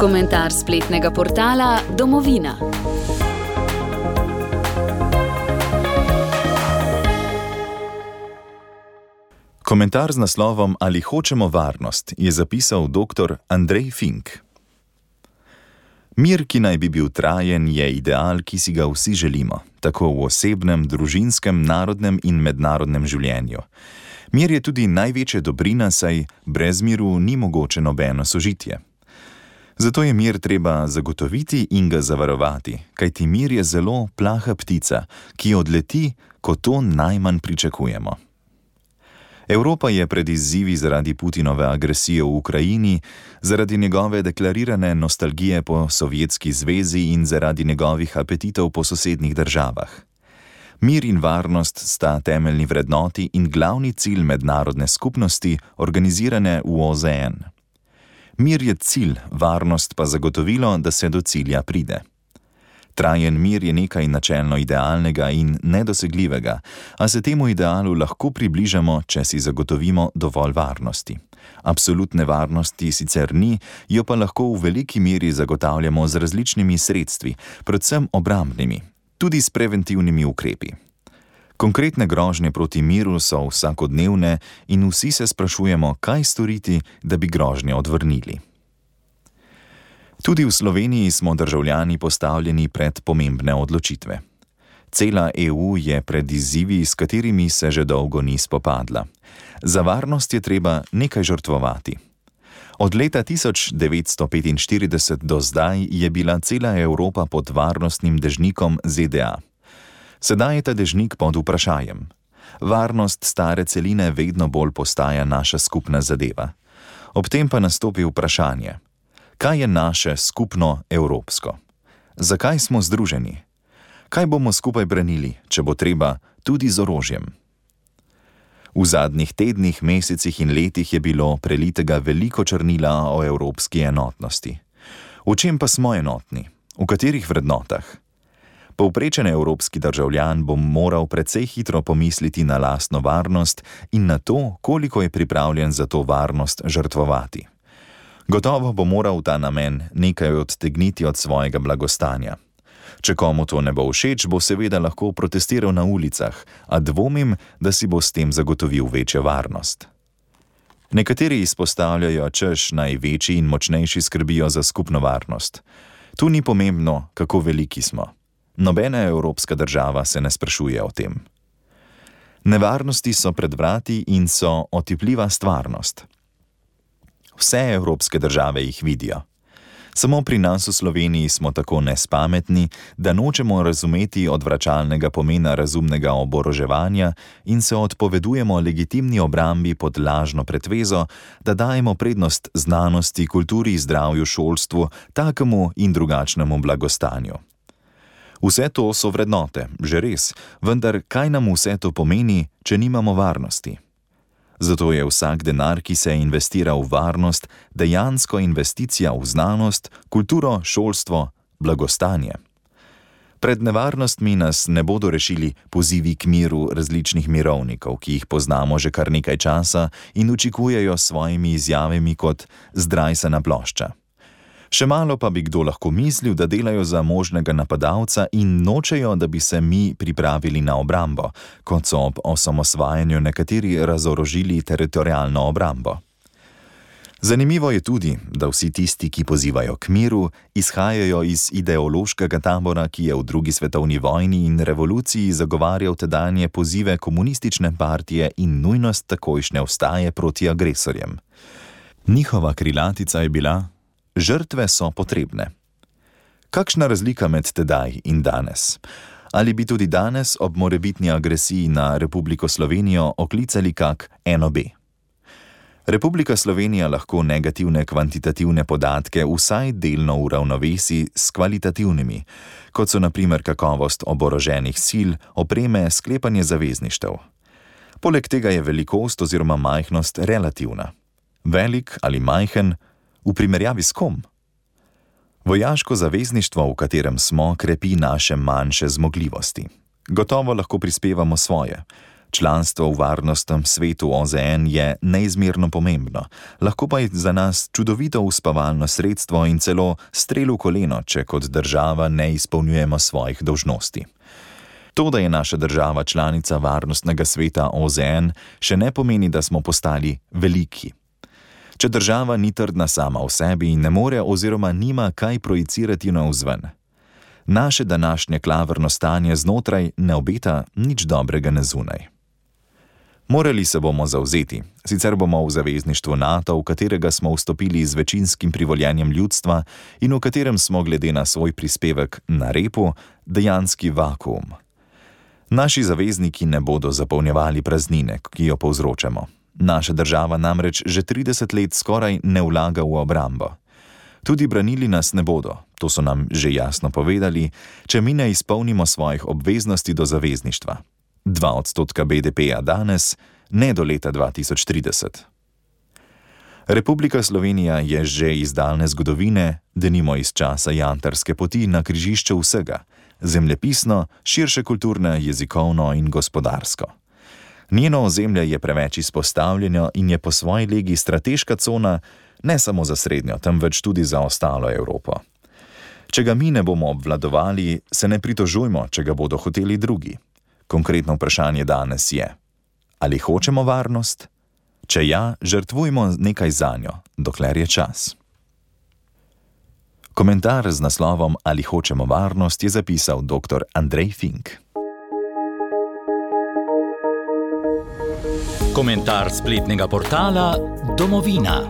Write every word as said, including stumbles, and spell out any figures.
Komentar spletnega portala Domovina. Komentar z naslovom Ali hočemo varnost je zapisal doktor Andrej Fink. Mir, ki naj bi bil trajen, je ideal, ki si ga vsi želimo, tako v osebnem, družinskem, narodnem in mednarodnem življenju. Mir je tudi največja dobrina, saj brez miru ni mogoče nobeno sožitje. Zato je mir treba zagotoviti in ga zavarovati, kajti mir je zelo plaha ptica, ki odleti, ko to najmanj pričakujemo. Evropa je pred izzivi zaradi Putinove agresije v Ukrajini, zaradi njegove deklarirane nostalgije po Sovjetski zvezi in zaradi njegovih apetitov po sosednjih državah. Mir in varnost sta temeljni vrednoti in glavni cilj mednarodne skupnosti, organizirane v O Z N. Mir je cilj, varnost pa zagotovilo, da se do cilja pride. Trajen mir je nekaj načelno idealnega in nedosegljivega, a se temu idealu lahko približamo, če si zagotovimo dovolj varnosti. Absolutne varnosti sicer ni, jo pa lahko v veliki meri zagotavljamo z različnimi sredstvi, predvsem obrambnimi, tudi s preventivnimi ukrepi. Konkretne grožnje proti miru so vsakodnevne in vsi se sprašujemo, kaj storiti, da bi grožnje odvrnili. Tudi v Sloveniji smo državljani postavljeni pred pomembne odločitve. Cela E U je pred izzivi, s katerimi se že dolgo ni spopadla. Za varnost je treba nekaj žrtvovati. Od leta tisoč devetsto petinštirideset do zdaj je bila cela Evropa pod varnostnim dežnikom Z D A. Sedaj je ta dežnik pod vprašajem. Varnost stare celine vedno bolj postaja naša skupna zadeva. Ob tem pa nastopi vprašanje. Kaj je naše skupno evropsko? Zakaj smo združeni? Kaj bomo skupaj branili, če bo treba, tudi z orožjem? V zadnjih tednih, mesecih in letih je bilo prelitega veliko črnila o evropski enotnosti. V čem pa smo enotni? V katerih vrednotah? Povprečen evropski državljan bo moral precej hitro pomisliti na lastno varnost in na to, koliko je pripravljen za to varnost žrtvovati. Gotovo bo moral v ta namen nekaj odtegniti od svojega blagostanja. Če komu to ne bo všeč, bo seveda lahko protestiral na ulicah, a dvomim, da si bo s tem zagotovil večjo varnost. Nekateri izpostavljajo, češ največji in močnejši skrbijo za skupno varnost. Tu ni pomembno, kako veliki smo. Nobena evropska država se ne sprašuje o tem. Nevarnosti so pred vrati in so otipljiva stvarnost. Vse evropske države jih vidijo. Samo pri nas v Sloveniji smo tako nespametni, da nočemo razumeti odvračalnega pomena razumnega oboroževanja in se odpovedujemo legitimni obrambi pod lažno pretvezo, da dajemo prednost znanosti, kulturi, zdravju, šolstvu, takemu in drugačnemu blagostanju. Vse to so vrednote, že res, vendar kaj nam vse to pomeni, če nimamo varnosti? Zato je vsak denar, ki se investira v varnost, dejansko investicija v znanost, kulturo, šolstvo, blagostanje. Pred nevarnostmi nas ne bodo rešili pozivi k miru različnih mirovnikov, ki jih poznamo že kar nekaj časa in učikujejo s svojimi izjavami kot zdrajsana plošča. Še malo pa bi kdo lahko mislil, da delajo za možnega napadalca in nočejo, da bi se mi pripravili na obrambo, kot so ob osamosvajanju nekateri razorožili teritorialno obrambo. Zanimivo je tudi, da vsi tisti, ki pozivajo k miru, izhajajo iz ideološkega tabora, ki je v drugi svetovni vojni in revoluciji zagovarjal tedanje pozive komunistične partije in nujnost takojšnje vstaje proti agresorjem. Njihova krilatica je bila: žrtve so potrebne. Kakšna razlika med tedaj in danes? Ali bi tudi danes ob morebitni agresiji na Republiko Slovenijo oklicali kak N O B? Republika Slovenija lahko negativne kvantitativne podatke vsaj delno uravnovesi s kvalitativnimi, kot so na primer kakovost oboroženih sil, opreme, sklepanje zavezništev. Poleg tega je velikost oziroma majhnost relativna. Velik ali majhen, v primerjavi s kom? Vojaško zavezništvo, v katerem smo, krepi naše manjše zmogljivosti. Gotovo lahko prispevamo svoje. Članstvo v varnostnem svetu O Z N je neizmerno pomembno, lahko pa je za nas čudovito uspavalno sredstvo in celo strel v koleno, če kot država ne izpolnjujemo svojih dolžnosti. To, da je naša država članica varnostnega sveta O Z N, še ne pomeni, da smo postali veliki. Če država ni trdna sama v sebi in ne more oziroma nima kaj projicirati navzven. Naše današnje klavrno stanje znotraj ne obeta nič dobrega na zunaj. Morali se bomo zavzeti, sicer bomo v zavezništvu NATO, v katerega smo vstopili z večinskim privoljenjem ljudstva in v katerem smo glede na svoj prispevek na repu, dejanski vakuum. Naši zavezniki ne bodo zapolnjevali praznine, ki jo povzročamo. Naša država namreč že trideset let skoraj ne vlaga v obrambo. Tudi branili nas ne bodo, to so nam že jasno povedali, če mi ne izpolnimo svojih obveznosti do zavezništva. Dva odstotka B D P-ja danes, ne do leta dva tisoč trideset. Republika Slovenija je že iz daljne zgodovine, denimo iz časa jantarske poti, na križišču vsega, zemljepisno, širše kulturno, jezikovno in gospodarsko. Njeno ozemlje je preveč izpostavljeno in je po svoji legi strateška cona ne samo za srednjo, temveč tudi za ostalo Evropo. Če ga mi ne bomo obvladovali, se ne pritožujmo, če ga bodo hoteli drugi. Konkretno vprašanje danes je: ali hočemo varnost? Če ja, žrtvujmo nekaj zanjo, dokler je čas. Komentar z naslovom Ali hočemo varnost je zapisal doktor Andrej Fink. Komentar spletnega portala Domovina.